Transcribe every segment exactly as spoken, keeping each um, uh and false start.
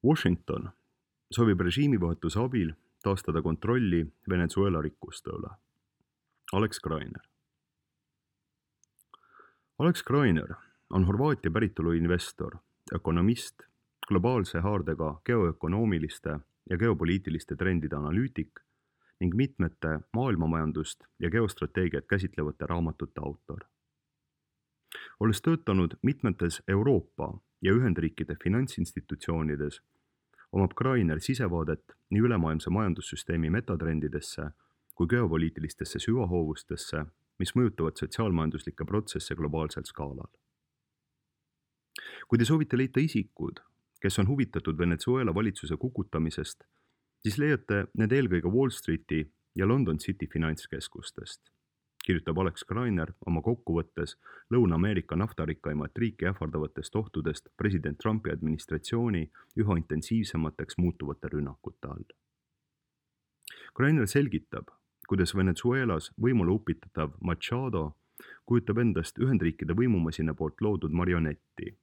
Washington soovib režiimivahetuse abil taastada kontrolli Venezuela rikkuste üle. Alex Greiner. Alex Greiner on Horvaatia päritolu investor, ökonomist, globaalse haardega geoökonoomiliste ja geopoliitiliste trendide analüütik ning mitmete maailmamajandust ja geostrateegiat käsitlevate raamatute autor. Olles töötanud mitmetes Euroopa ja Ühendriikide finantsinstitutsioonides, omab Greiner sisevaadet nii ülemaailmse majandussüsteemi metatrendidesse kui geopoliitilistesse süvahoovustesse, mis mõjutavad sotsiaalmajanduslikke protsesse globaalsel skaalal. Kui te soovite leida isikud, kes on huvitatud Venezuela valitsuse kukutamisest, siis leiate need eelkõige Wall Streeti ja London City finantskeskustest, kirjutab Alex Greiner oma kokkuvõttes Lõuna-Ameerika naftarikaimat riiki ähvardavatest ohtudest president Trumpi administratsiooni üha intensiivsemateks muutuvate rünnakute all. Greiner selgitab, kuidas Venezuelas võimule upitatav Machado kujutab endast Ühendriikide võimumasina poolt loodud marionetti,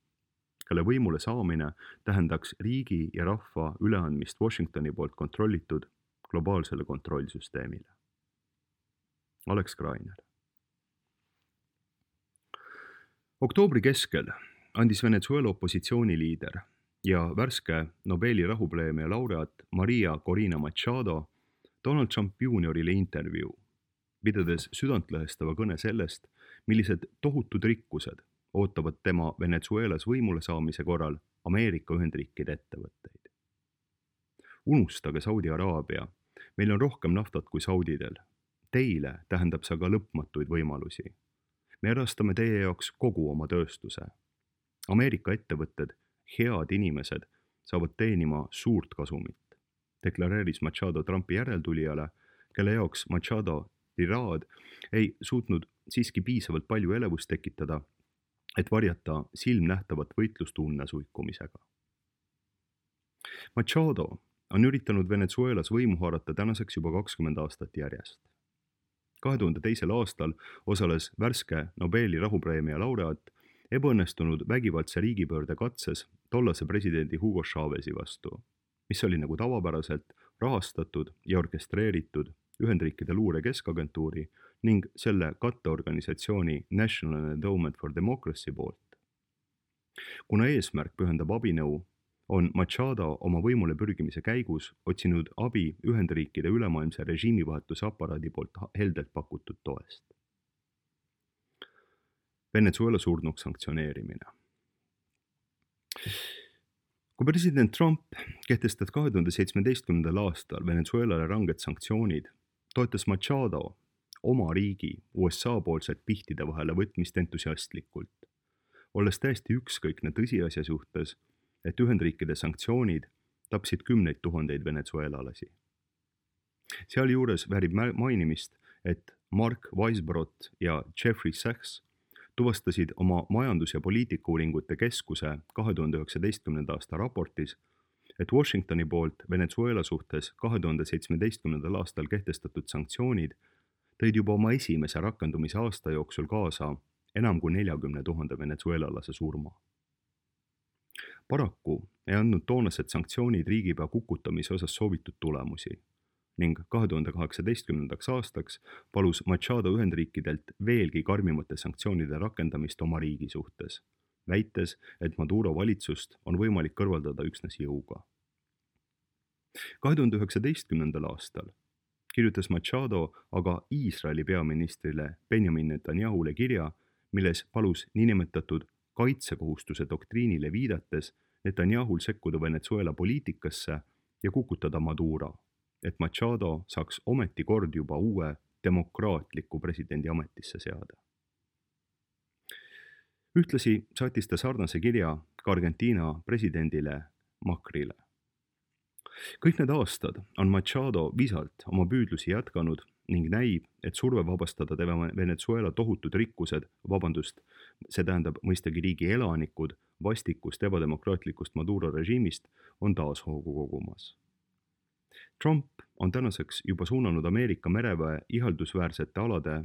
kelle võimule saamine tähendaks riigi ja rahva üleandmist Washingtoni poolt kontrollitud globaalsele kontrollsüsteemile. Alex Greiner. Oktoobri keskel andis Venezuela opositsiooniliider ja värske Nobeli rahupreemia laureaat Maria Corina Machado Donald Trump juuniorile intervjuu, pidades südantlõhestava kõne sellest, millised tohutud rikkused ootavad tema Venezuelas võimule saamise korral Ameerika Ühendriikide ettevõtteid. Unustage Saudi Araabia, meil on rohkem naftat kui saudidel. Teile tähendab see aga lõpmatuid võimalusi. Me erastame teie jaoks kogu oma tööstuse. Ameerika ettevõtted, head inimesed, saavad teenima suurt kasumit, deklareeris Machado Trumpi järeltulijale, kelle jaoks Machado tiraad ei suutnud siiski piisavalt palju elevust tekitada, et varjata silmnähtavat võitlust unnasuikumisega. Machado on üritanud Venezuelas võimu haarata tänaseks juba kakskümmend aastat järjest. kahe tuhande teisel aastal osales värske Nobeli rahupreemia laureaat ebaõnnestunud vägivaldse riigipöörde katses tollase presidendi Hugo Chávez'i vastu, mis oli nagu tavapäraselt rahastatud ja orkestreeritud Ühendriikide luure keskagentuuri ning selle katteorganisatsiooni National Endowment for Democracy poolt. Kuna eesmärk pühendab abinõu, on Machado oma võimule pürgimise käigus otsinud abi Ühendriikide ülemaailmse režiimivahetuse aparaadi poolt heldelt pakutud toest. Venezuela surnuks sanktsioneerimine. Kui president Trump kehtestas kahe tuhande seitsmeteistkümnendal aastal Venezuelale ranged sanktsioonid, toetas Machado oma riigi U S A poolset pihtide vahele võtmist entusiastlikult, olles täiesti ükskõikne tõsiasja suhtes, et Ühendriikide sanktsioonid tapsid kümneid tuhandeid venezuelalasi. Sealjuures väärib mainimist, et Mark Weisbrot ja Jeffrey Sachs tuvastasid oma majandus- ja poliitikauuringute keskuse kahe tuhande üheksateistkümnenda aasta raportis, et Washingtoni poolt Venezuela suhtes kahe tuhande seitsmeteistkümnendal aastal kehtestatud sanktsioonid tõid juba oma esimese rakendumise aasta jooksul kaasa enam kui neljakümne tuhande venezuelalase surma. Paraku ei andnud toonased sanktsioonid riigipea kukutamise osas soovitud tulemusi ning kahe tuhande kaheksateistkümnendaks aastaks palus Machado Ühendriikidelt veelgi karmimate sanktsioonide rakendamist oma riigi suhtes, väites, et Maduro valitsust on võimalik kõrvaldada üksnes jõuga. kahe tuhande üheksateistkümnendal aastal kirjutas Machado aga Iisraeli peaministrile Benjamin Netanyahule kirja, milles palus niinimetatud kaitsekohustuse doktriinile viidates Netanyahul sekkuda Venezuela poliitikasse ja kukutada Maduro, et Machado saaks ometi kord juba uue demokraatliku presidendi ametisse seada. Ühtlasi saatis ta sarnase kirja ka Argentiina presidendile Macrile. Kõik need aastad on Machado visalt oma püüdlusi jätkanud ning näib, et surve vabastada tema Venezuela tohutud rikkused, vabandust, see tähendab mõistagi riigi elanikud, vastikust ebademokraatlikust Maduro režiimist on taas hoogu kogumas. Trump on tänaseks juba suunanud Ameerika mereväe ihaldusväärsete alade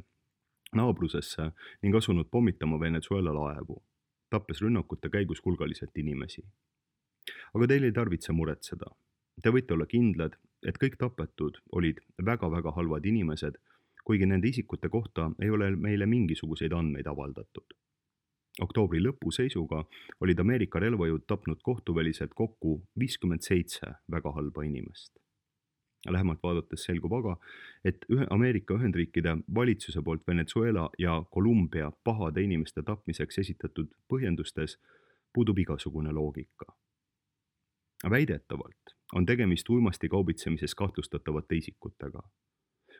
naabrusesse ning asunud pommitama Venezuela laevu, tappes rünnakute käigus hulgaliselt inimesi. aga teil ei tarvitse muretseda. Te võite olla kindlad, et kõik tapetud olid väga-väga halvad inimesed, kuigi nende isikute kohta ei ole meile mingisuguseid andmeid avaldatud. Oktoobri lõpu seisuga olid Ameerika relvajõud tapnud kohtuväliselt kokku viiskümmend seitse väga halba inimest. Lähemalt vaadates selgub aga, et Ameerika Ühendriikide valitsuse poolt Venezuela ja Kolumbia pahade inimeste tapmiseks esitatud põhjendustes puudub igasugune loogika. Väidetavalt on tegemist uimasti kaubitsemises kahtlustatavate isikutega,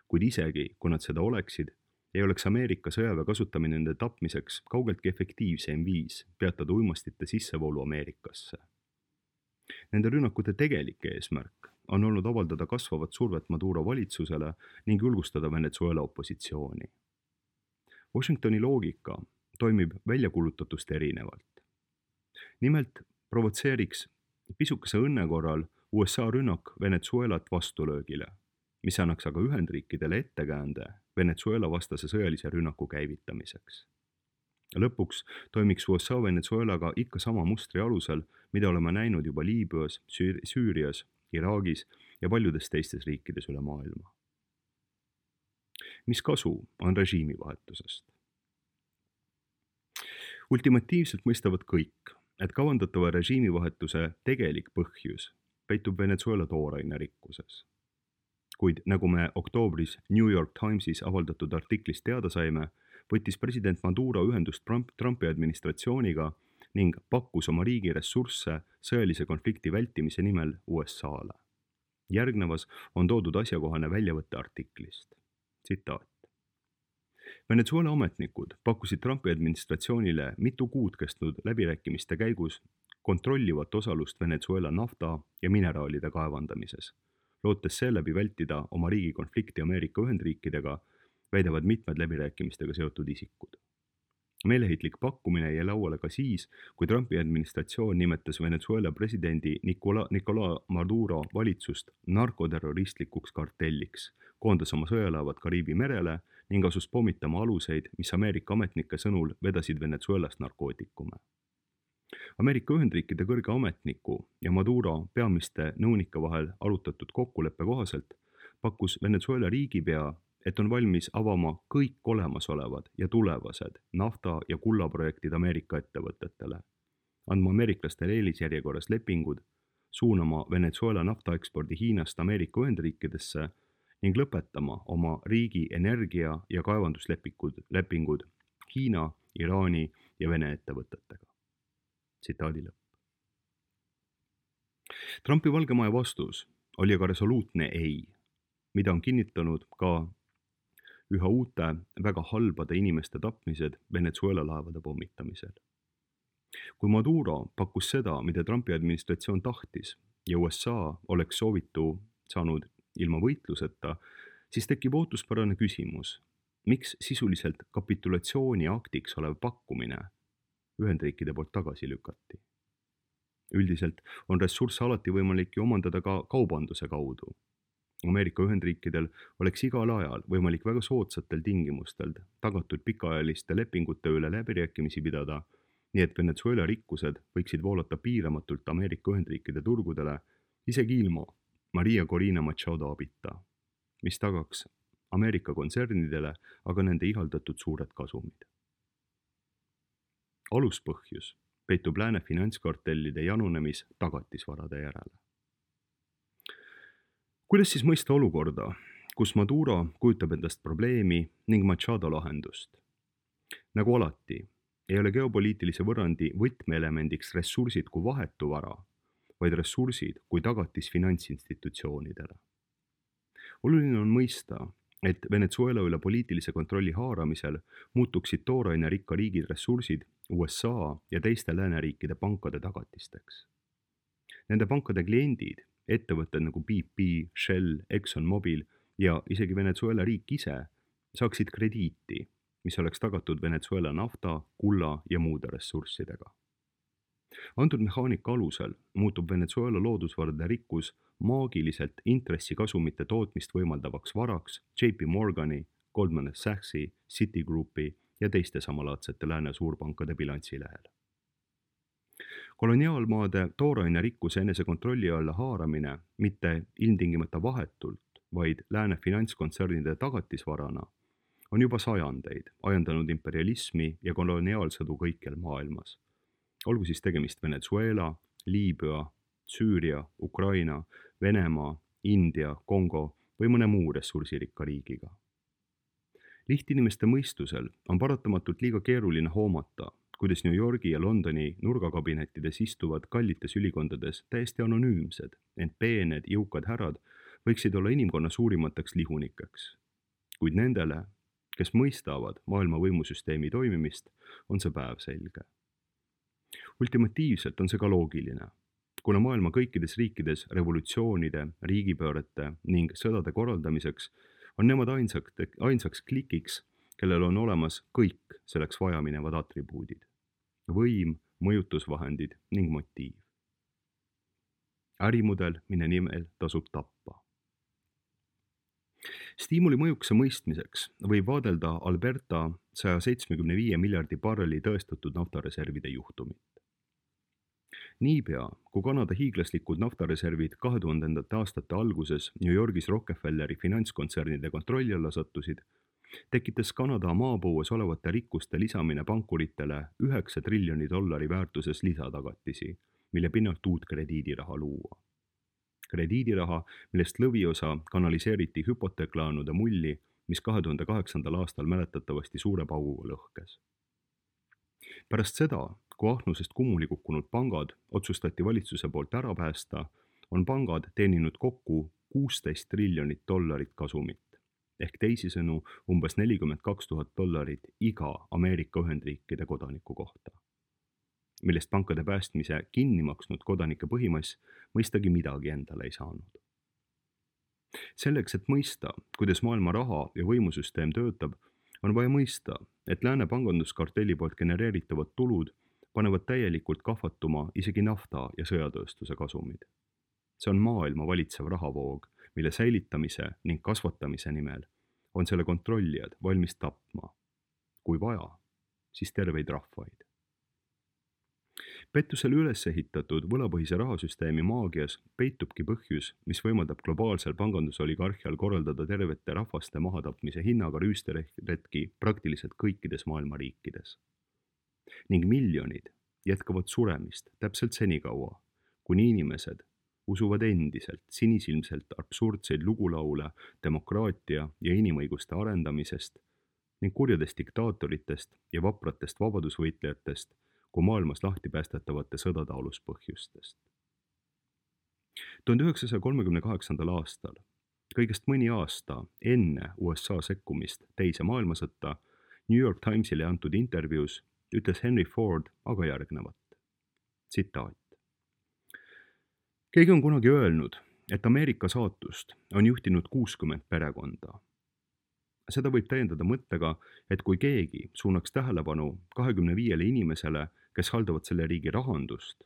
kuid isegi, kui nad seda oleksid, ei oleks Ameerika sõjaväe kasutamine nende tapmiseks kaugeltki efektiivsem viis peatada uimastite sissevoolu Ameerikasse. Nende rünnakute tegelik eesmärk on olnud avaldada kasvavat survet Maduro valitsusele ning julgustada Venezuela opositsiooni. Washingtoni loogika toimib väljakuulutatust erinevalt. Nimelt provotseeriks pisukese õnne korral U S A rünnak Venezuelat vastulöögile, mis annaks aga Ühendriikidele ettekäände Venezuela vastase sõjalise rünnaku käivitamiseks. Lõpuks toimiks U S A Venezuelaga ikka sama mustri alusel, mida oleme näinud juba Liibüas, Süürias, Iraagis ja paljudes teistes riikides üle maailma. Mis kasu on režiimivahetusest? Ultimatiivselt mõistavad kõik, et kavandatava režiimivahetuse tegelik põhjus peitub Venezuela tooraine rikkuses. Kuid nagu me oktoobris New York Timesis avaldatud artiklist teada saime, võttis president Maduro ühendust Trumpi administratsiooniga ning pakkus oma riigi ressursse sõjalise konflikti vältimise nimel U S A-le. Järgnevas on toodud asjakohane väljavõtte artiklist. Tsitaat. Venezuela ametnikud pakkusid Trumpi administratsioonile mitu kuud kestnud läbirääkimiste käigus kontrollivat osalust Venezuela nafta ja mineraalide kaevandamises, lootes seeläbi vältida oma riigi konflikti Ameerika Ühendriikidega, väidavad mitmed läbirääkimistega seotud isikud. Meeleheitlik pakkumine jäi lauale ka siis, kui Trumpi administratsioon nimetas Venezuela presidendi Nicola, Nicola Maduro valitsust narkoterroristlikuks kartelliks, koondas oma sõjalaevad Kariibi merele ning asus pommitama aluseid, mis Ameerika ametnike sõnul vedasid Venezuelast narkootikume. Ameerika Ühendriikide kõrge ametniku ja Maduro peamiste nõunike vahel arutatud kokkuleppe kohaselt pakkus Venezuela riigipea, et on valmis avama kõik olemasolevad ja tulevased nafta- ja kullaprojektid Ameerika ettevõtetele, andma ameeriklastele eelisjärjekorras lepingud, suunama Venezuela naftaekspordi Hiinast Ameerika Ühendriikidesse ning lõpetama oma riigi energia- ja kaevanduslepingud lepingud Hiina, Iraani ja Vene ettevõtetega. Tsitaadi lõpp. Trumpi Valge Maja vastus oli aga resoluutne ei, mida on kinnitanud ka üha uute väga halbade inimeste tapmised Venezuela laevade pommitamisel. Kui Maduro pakkus seda, mida Trumpi administratsioon tahtis ja U S A oleks soovitu saanud ilma võitluseta, siis tekib ootuspärane küsimus, miks sisuliselt kapitulatsiooni aktiks olev pakkumine Ühendriikide poolt tagasi lükati. Üldiselt on ressursse alati võimalik ju omandada ka kaubanduse kaudu. Ameerika Ühendriikidel oleks igal ajal võimalik väga soodsatel tingimustel tagatud pikaajaliste lepingute üle läbirääkimisi pidada, nii et Venezuela rikkused võiksid voolata piiramatult Ameerika Ühendriikide turgudele isegi ilma Maria Corina Machado abita, mis tagaks Ameerika kontsernidele aga nende ihaldatud suured kasumid. Aluspõhjus peitub lääne finantskartellide janunemis tagatisvarade järele. Kuidas siis mõista olukorda, kus Maduro kujutab endast probleemi ning Machado lahendust? Nagu alati, ei ole geopoliitilise võrrandi võtmeelemendiks ressursid kui vahetu vara, vaid ressursid kui tagatis finantsinstitutsioonidele. Oluline on mõista, et Venezuela üle poliitilise kontrolli haaramisel muutuksid tooraine rikka riigid ressursid U S A ja teiste lääneriikide pankade tagatisteks. Nende pankade kliendid, ettevõtted nagu B P, Shell, ExxonMobil ja isegi Venezuela riik ise saaksid krediiti, mis oleks tagatud Venezuela nafta, kulla ja muude ressurssidega. Antud mehaanika alusel muutub Venezuela loodusvarade rikkus maagiliselt intressikasumite tootmist võimaldavaks varaks J P Morgani, Goldman Sachsi, Citigroupi ja teiste samalaadsete lääne suurpankade bilansilehel. koloniaalmaade tooraine rikkuse enese kontrolli alla haaramine mitte ilmtingimata vahetult, vaid lääne finantskontsernide tagatisvarana on juba sajandeid ajendanud imperialismi ja koloniaalsõdu kõikjal maailmas. Olgu siis tegemist Venezuela, Liibüa, Süüria, Ukraina, Venemaa, India, Kongo või mõne muu ressursirikka riigiga. Lihtinimeste mõistusel on paratamatult liiga keeruline hoomata, kuidas New Yorgi ja Londoni nurgakabinettides istuvad kallites ülikondades täiesti anonüümsed, ent peened, jõukad härrad võiksid olla inimkonna suurimateks lihunikeks. Kuid nendele, kes mõistavad maailma võimusüsteemi toimimist, on see päev selge. Ultimatiivselt on see ka loogiline, kuna maailma kõikides riikides revolutsioonide, riigipöörete ning sõdade korraldamiseks on nemad ainsaks, ainsaks klikiks, kellel on olemas kõik selleks vajaminevad atribuudid. Võim, mõjutusvahendid ning motiiv. Ärimudel, mille nimel tasub tappa. Stiimuli mõjukuse mõistmiseks võib vaadelda Alberta saja seitsmekümne viie miljardi barreli tõestatud naftareservide juhtumit. Niipea, kui Kanada hiiglaslikud naftareservid kahe tuhandendate aastate alguses New Yorgis Rockefelleri finantskontsernide kontrolli alla sattusid, tekitas Kanada maapõues olevate rikkuste lisamine pankuritele üheksa triljoni dollari väärtuses lisatagatisi, mille pinnalt uut krediidiraha luua. Krediidiraha, millest lõviosa kanaliseeriti hüpoteeklaanude mulli, mis kahe tuhande kaheksandal aastal mäletatavasti suure pauguga lõhkes. Pärast seda, kui ahnusest kummuli kukkunud pangad otsustati valitsuse poolt ära päästa, on pangad teeninud kokku kuusteist triljonit dollarit kasumit, ehk teisisõnu umbes nelikümmend kaks tuhat dollarit iga Ameerika Ühendriikide kodaniku kohta, millest pankade päästmise kinni maksnud kodanike põhimass mõistagi midagi endale ei saanud. Selleks, et mõista, kuidas maailma raha- ja võimusüsteem töötab, on vaja mõista, et lääne panganduskartelli poolt genereeritavad tulud panevad täielikult kahvatuma isegi nafta- ja sõjatööstuse kasumid. See on maailma valitsev rahavoog, mille säilitamise ning kasvatamise nimel on selle kontrollijad valmis tapma. Kui vaja, siis terveid rahvaid. Pettusele üles ehitatud võlapõhise rahasüsteemi maagias peitubki põhjus, mis võimaldab globaalsel pangandusoligarhial korraldada tervete rahvaste mahatapmise hinnaga rüüsteretki praktiliselt kõikides maailma riikides. Ning miljonid jätkavad suremist täpselt senikaua, kuni inimesed usuvad endiselt sinisilmselt absurdseid lugulaule demokraatia ja inimõiguste arendamisest ning kurjadest diktaatoritest ja vapratest vabadusvõitlejatest kui maailmas lahti päästetavate sõdade aluspõhjustest. tuhande üheksasaja kolmekümne kaheksandal aastal, kõigest mõni aasta enne U S A sekkumist teise maailmasõtta, New York Timesile antud intervjuus ütles Henry Ford aga järgnevat. Tsitaat. Keegi on kunagi öelnud, et Ameerika saatust on juhtinud kuuskümmend perekonda. Seda võib täiendada mõttega, et kui keegi suunaks tähelepanu kahekümne viiele inimesele, kes haldavad selle riigi rahandust,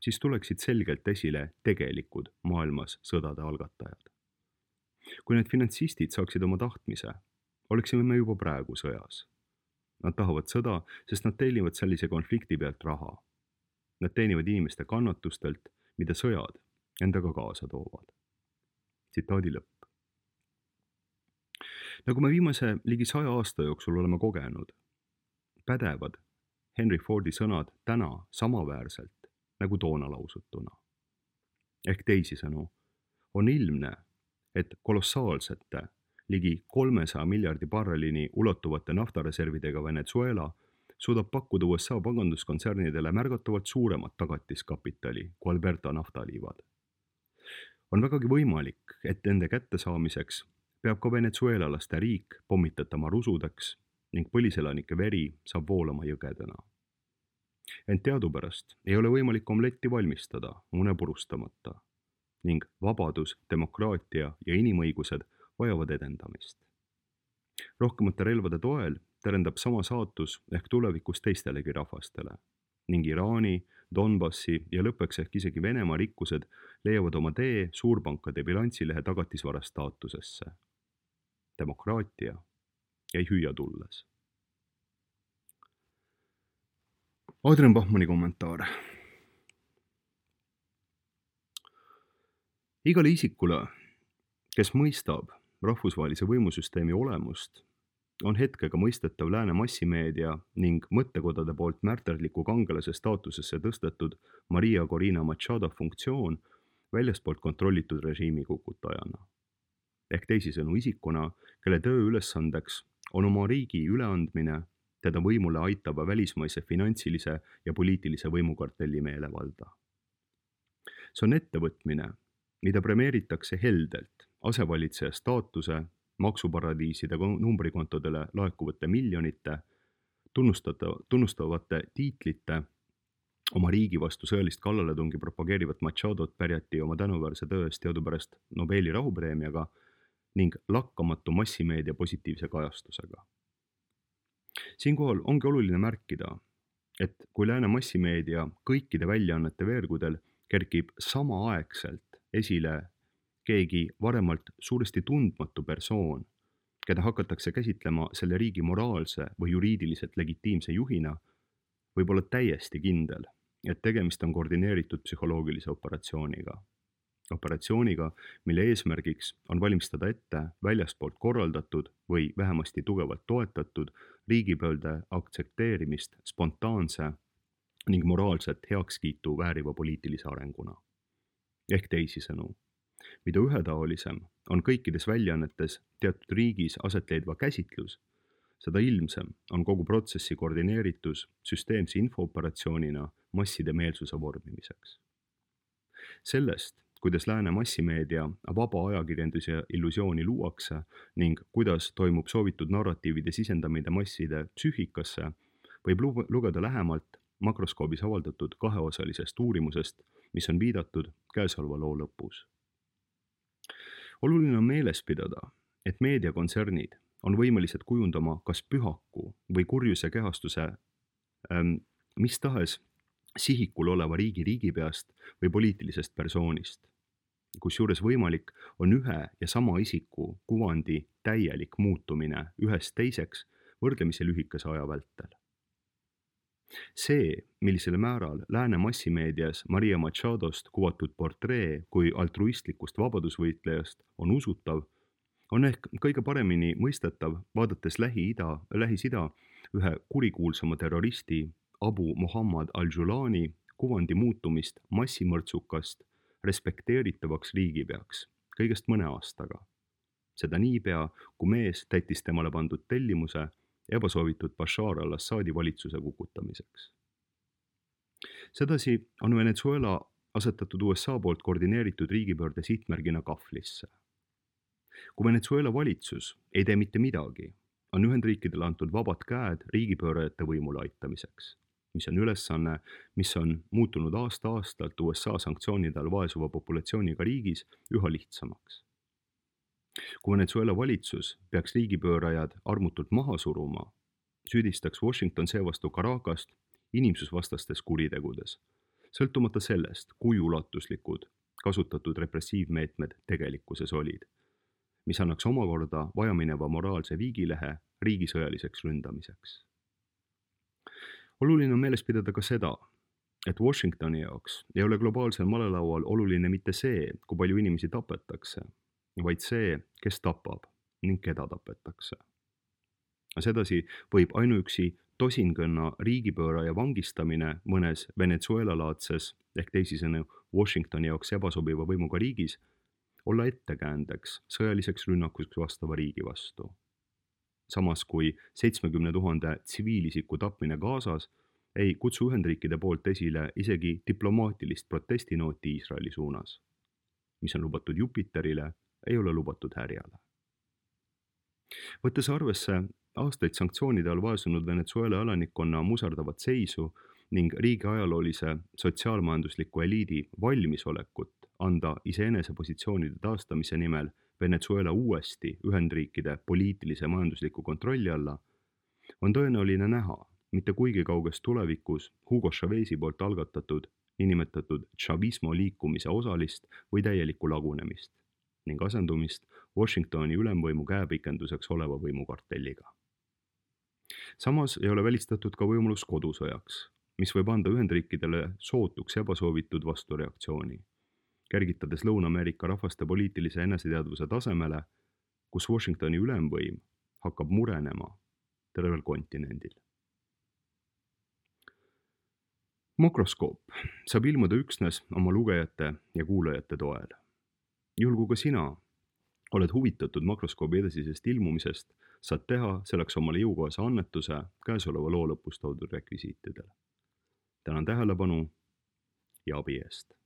siis tuleksid selgelt esile tegelikud maailmas sõdade algatajad. Kui need finantsistid saaksid oma tahtmise, oleksime me juba praegu sõjas. Nad tahavad sõda, sest nad teenivad sellise konflikti pealt raha. Nad teenivad inimeste kannatustelt, mida sõjad endaga kaasa toovad. Tsitaadi lõpp. Nagu me viimase ligi saja aasta jooksul oleme kogenud, pädevad Henry Fordi sõnad täna samaväärselt nagu toona lausutuna. Ehk teisisõnu, on ilmne, et kolossaalsete ligi kolmesaja miljardi barrelini ulatuvate naftareservidega Venezuela suudab pakkuda U S A panganduskontsernidele märgatavalt suuremat tagatiskapitali kui Alberta naftaliivad. On vägagi võimalik, et nende kättesaamiseks peab ka venezuelalaste riik pommitatama rusudeks ning põliselanike veri saab voolama jõgedena. Ent teadupärast ei ole võimalik omletti valmistada mune purustamata ning vabadus, demokraatia ja inimõigused vajavad edendamist. Rohkemate relvade toel terendab sama saatus ehk tulevikus teistelegi rahvastele ning Iraani, Donbassi ja lõppeks ehk isegi Venemaa rikkused leiavad oma tee suurpankade bilansilehe tagatisvara staatusesse. Demokraatia jäi hüüa tulles. Adrian Bachmanni kommentaar. igale isikule, kes mõistab rahvusvahelise võimusüsteemi olemust, on hetkega mõistetav lääne massimeedia ning mõttekodade poolt märterliku kangelase staatusesse tõstetud Maria Corina Machado funktsioon väljastpoolt kontrollitud režiimi kukutajana. Ehk teisisõnu isikuna, kelle töö ülesandeks on oma riigi üleandmine teda võimule aitava välismaise finantsilise ja poliitilise võimukartelli meelevalda. See on ettevõtmine, mida premeeritakse heldelt asevalitseja staatuse, maksuparadiiside numbrikontodele laekuvate miljonite, tunnustavate tiitlite, oma riigi vastu sõjalist kallaletungi propageerivat Machadot pärjati oma tänuväärse töö eest teadupärast Nobeli rahupreemiaga ning lakkamatu massimeedia positiivse kajastusega. Siinkohal ongi oluline märkida, et kui lääne massimeedia kõikide väljaannete veergudel kerkib samaaegselt esile keegi varemalt suuresti tundmatu persoon, keda hakatakse käsitlema selle riigi moraalse või juriidiliselt legitiimse juhina, võib olla täiesti kindel, et tegemist on koordineeritud psühholoogilise operatsiooniga. Operatsiooniga, mille eesmärgiks on valmistada ette väljastpoolt korraldatud või vähemasti tugevalt toetatud riigipöörde aktsepteerimist spontaanse ning moraalset heakskiitu vääriva poliitilise arenguna. Ehk teisisõnu, mida ühetaolisem on kõikides väljaannetes teatud riigis aset leidva käsitlus, seda ilmsem on kogu protsessi koordineeritus süsteemse infooperatsioonina masside meelsuse vormimiseks. Sellest, kuidas lääne massimeedia vaba ajakirjanduse illusiooni luuakse ning kuidas toimub soovitud narratiivide sisendamine masside psüühikasse, võib lugeda lähemalt makroskoobis avaldatud kaheosalisest uurimusest, mis on viidatud käesoleva loo lõpus. Oluline on meeles pidada, et meediakontsernid on võimelised kujundama kas pühaku või kurjuse kehastuse ähm, mis tahes sihikul oleva riigi riigipeast või poliitilisest persoonist, kusjuures võimalik on ühe ja sama isiku kuvandi täielik muutumine ühest teiseks võrdlemisi lühikese aja vältel. See, millisel määral lääne massimeedias Maria Machadost kuvatud portree kui altruistlikust vabadusvõitlejast on usutav, on ehk kõige paremini mõistetav, vaadates Lähi-Ida, Lähis-Ida ühe kurikuulsama terroristi Abu Muhammad al-Julani kuvandi muutumist massimõrtsukast respekteeritavaks riigipeaks kõigest mõne aastaga. Seda niipea, kui mees täitis temale pandud tellimuse ebasoovitud Bashar al-Assadi valitsuse kukutamiseks. Sedasi on Venezuela asetatud U S A poolt koordineeritud riigipöörde sihtmärgina kahvlisse. Kui Venezuela valitsus ei tee mitte midagi, on Ühendriikidele antud vabad käed riigipöörajate võimule aitamiseks, mis on ülesanne, mis on muutunud aasta-aastalt U S A sanktsioonide all vaesuva populatsiooniga riigis üha lihtsamaks. Kui Venezuela valitsus peaks riigipöörajad armutult maha suruma, süüdistaks Washington seevastu Caracast inimsusvastastes kuritegudes, sõltumata sellest, kui ulatuslikud kasutatud repressiivmeetmed tegelikkuses olid, mis annaks omakorda vajamineva moraalse viigilehe riigi sõjaliseks ründamiseks. Oluline on meeles pidada ka seda, et Washingtoni jaoks ei ole globaalsel malelaual oluline mitte see, kui palju inimesi tapetakse, vaid see, kes tapab ning keda tapetakse. Sedasi võib ainuüksi tosinkõnna riigipööraja vangistamine mõnes Venezuela-laadses ehk teisisõnu Washingtoni jaoks ebasobiva võimuga riigis olla ettekäändeks sõjaliseks rünnakuks vastava riigi vastu. Samas kui seitsmekümne tuhande tsiviilisiku tapmine Gazas ei kutsu Ühendriikide poolt esile isegi diplomaatilist protestinooti Iisraeli suunas, mis on lubatud Jupiterile, ei ole lubatud härjale. Võttes arvesse aastaid sanktsioonide all vaesunud Venezuela elanikkonna muserdavat seisu ning riigi ajaloolise sotsiaalmajandusliku eliidi valmisolekut anda iseenese positsioonide taastamise nimel Venezuela uuesti Ühendriikide poliitilise majandusliku kontrolli alla, on tõenäoline näha mitte kuigi kauges tulevikus Hugo Chavez'i poolt algatatud niinimetatud chavismo liikumise osalist või täielikku lagunemist ning asendumist Washingtoni ülemvõimu käepikenduseks oleva võimukartelliga. Samas ei ole välistatud ka võimalus kodusõjaks, mis võib anda Ühendriikidele sootuks ebasoovitud vastureaktsiooni, kergitades Lõuna-Ameerika rahvaste poliitilise eneseteadvuse tasemele, kus Washingtoni ülemvõim hakkab murenema tervel kontinendil. Makroskoop saab ilmuda üksnes oma lugejate ja kuulajate toel. Juhul kui ka sina oled huvitatud makroskoobi edasisest ilmumisest, saad teha selleks omale jõukohase annetuse käesoleva loo lõpus toodud rekvisiitidele. Tänan tähelepanu ja abi eest.